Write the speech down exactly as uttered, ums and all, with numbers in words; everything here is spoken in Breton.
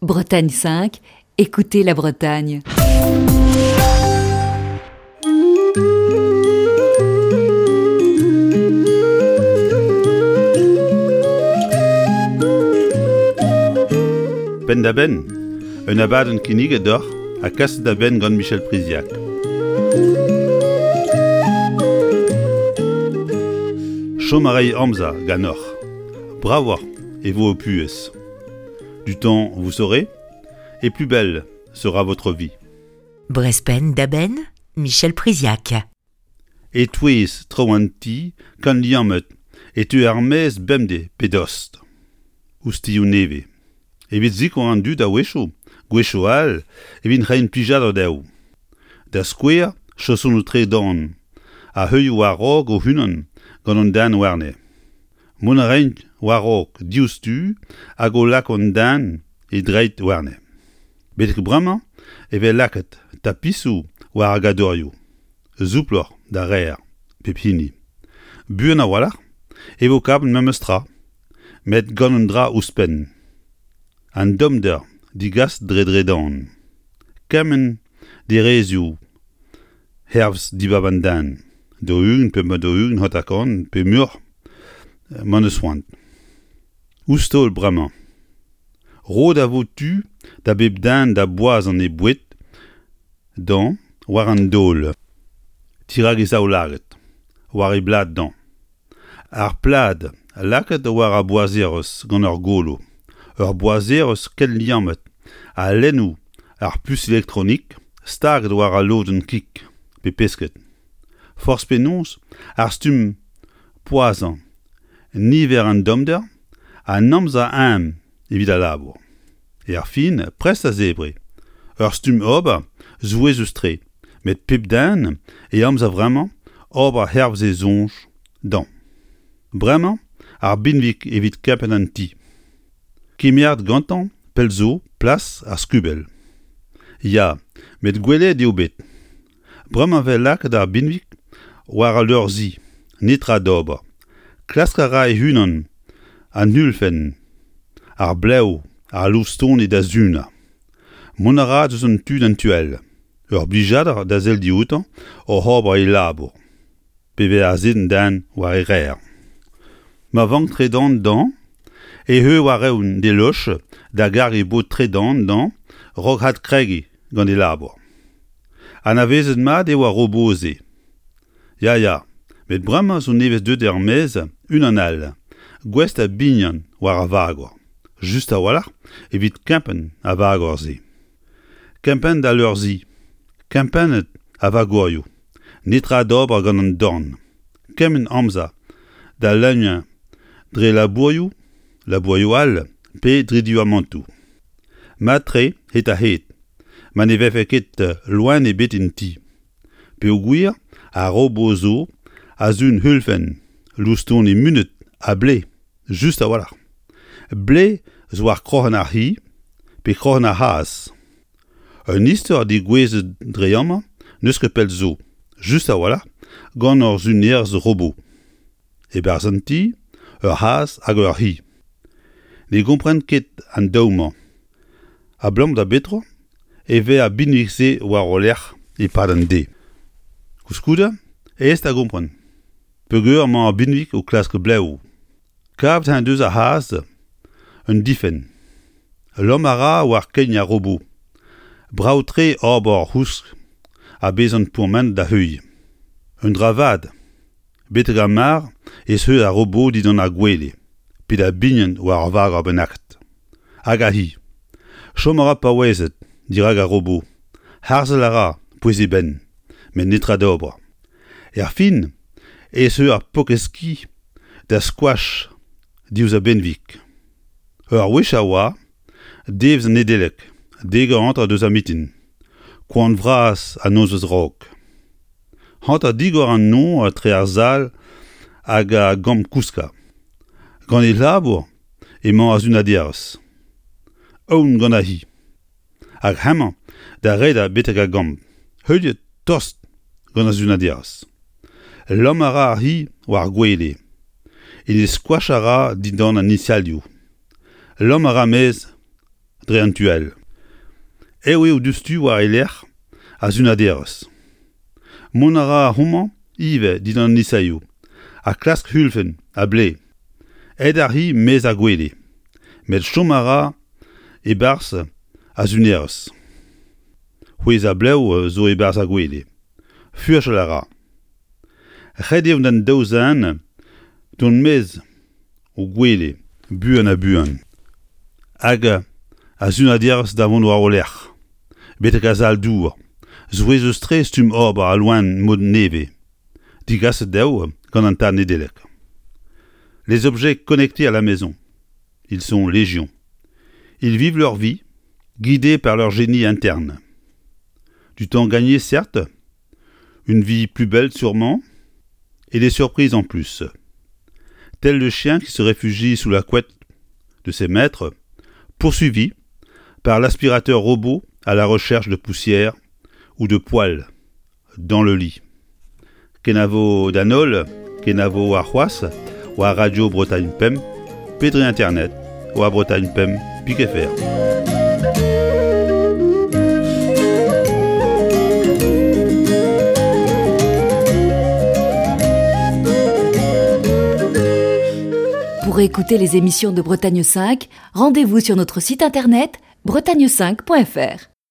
Bretagne cinq, écoutez la Bretagne. Penn-da-benn, un abadenn kinniget deoc'h ha kaset da benn gant Michel Priziac. Chom a ray amzer ganeoc'h. Bravoc'h e vo ho puhez. Du temps vous serez, et plus belle sera votre vie. Brest Penn-da-Benn, Michel Priziac. E-touez traoù an ti kant liammet e teu er-maez bemdez pe dost. Ouzhtilhoù nevez. Evit sikour an dud a-wechoù, gwechoù all, evit reiñ plijadur dezho. Da skouer, chaosonoù tredan, a heuilh war-raok o-unan gant an den warne. Mont a raint war-raok diouzhtu hag o lak an den e dreid warne. Betek bremañ e vez lakaet tapisoù war ar gadorioù. Souploc'h da reer, pep hini. Buan a-walc'h e vo kavet memes tra, met gant un dra ouzhpenn. An tommder digas dre dredan. Kement derezioù hervez dibab an den. Daou-ugent pe daou-ugent hanter-kant pe muioc'h m'en deus c'hoant. Ouzh taol bremañ. Roet a vo tu da bep den da boazhañ e boued dezhañ war an daol. Dirak e zaoulagad, war e blad dezhañ. Ar plad lakaet war ar boazherez gant ur golo. Ur boazherez ken liammet ha lennoù ar puñs elektronik staget war al lodenn kig pe pesked. Forzh penaos ar stumm poazhañ, niver an tommder, an amzer eeun evit al labour. Er fin, prest da zebriñ. Ur stumm ober souezhus-tre, met pep den e amzer vremañ ober hervez e soñj dezhañ. Bremañ ar binvig evit kempenn an ti. Kemeret gantañ pell zo plas ar skubell. Ya, met gwelet eo bet. Bremañ 'vez lakaet ar binvig war al leur-zi, netra d'ober. Klask a ra e-unan an ulfenn, ar blev, ar loustoni da sunañ. Mont a ra eus un tu d'an tu all. Ur blijadur da sell dioutañ oc'h ober e labour. Pe vez azezet an den war e reer. Ma vank tredan dezhañ e eur war-eeun d'e loch da gargiñ e bod tredan dezhañ a-raok adkregiñ gant e labour. Anavezet mat eo ar robot-se. Ya, ya, met bremañ zo nevez deuet er-maez unan all, gouest da bignat war ar vagor. Just a-walc'h evit kempenn ar vagor-se. Kempenn d'al leur-zi, kempennet ar vagorioù, netra d'ober gant an dorn. Kement amzer da leuniañ dre labourioù, labourioù all pe dre duamantoù. Mat-tre hed-ha-hed, ma ne vefe ket loen ebet en ti. Peogwir ar robot zo a sun ulfenn, loustoni munut ha blev, just a-walc'h. Blev zo war kroc'hen ar c'hi pe kroc'hen ar c'hazh. Un istor degouezhet dre amañ n'eus ket pell zo, just a-walc'h, gant ur sunerez robot. E-barzh an ti, ur c'hazh hag ur c'hi. Ne gompren ket an daou-mañ. Abalamour da betra e vez ar binvig-se war o lerc'h e-pad an deiz. Koulskoude, aes da gompren. Peogwir emañ ar binvig o klask blev. Kavet en deus ar c'hazh un difenn. Lamm a ra war kein ar robot. Brav-tre ober ur c'housk ha bezañ pourmenet da heuilh. Un dra vat, betek ar mare ez eus ar robot dindan ar gwele, pe da bignat war ur vagor bennaket. Hag ar c'hi. Chom a ra paouezet dirak ar robot. Harzel a ra pouez e benn, met netra d'ober. Er fin ez eus ar paourkaezh ki da skoach diouzh ar benveg. Ur wech a oa, devezh an Nedeleg, dek eur hanter deus ar mintin. Koan vras an nozvezh a-raok. Hanter digor an nor etre ar sal hag ar gambr-kouskañ. Gant e labour emañ ar sunaderez. Aon gant ar c'hi. Hag hemañ da redek betek ar gambr. Heuliet tost gant ar sunaderez. Lamm a ra ar c'hi war ar gwele. En e skoach a ra dindan an iñselioù. Lamm a ra maez dre an tu all. Eo eo diouzhtu war e lerc'h ar sunaderez. Mont a ra homañ ivez dindan an isaioù ha klask hulfenn ha blev. Aet ar c'hi maez ar gwele, met chom a ra e-barzh ar sunerez. C'hwezh ha blev zo e-barzh ar gwele. Furchal a ra. Ret eo d'an daou zen dont maez o gwele buan ha buan. Hag ar sunaderez da vont war o lerc'h, betek ar sal-dour, souezhus-tre stumm ober al loen mod nevez, digaset dezho gant an tad Nedeleg. Les objets connectés à la maison, ils sont légion. Ils vivent leur vie, guidés par leur génie interne. Du temps gagné, certes, une vie plus belle sûrement, et des surprises en plus. Tel le chien qui se réfugie sous la couette de ses maîtres, poursuivi par l'aspirateur robot à la recherche de poussière ou de poils dans le lit. Kenavo d'an holl, kenavo warc'hoazh, war Radio Bretagne Pemp, pe dre internet, war Bretagne Pemp, pik F R. Pour écouter les émissions de Bretagne cinq, rendez-vous sur notre site internet bretagne cinq point F R.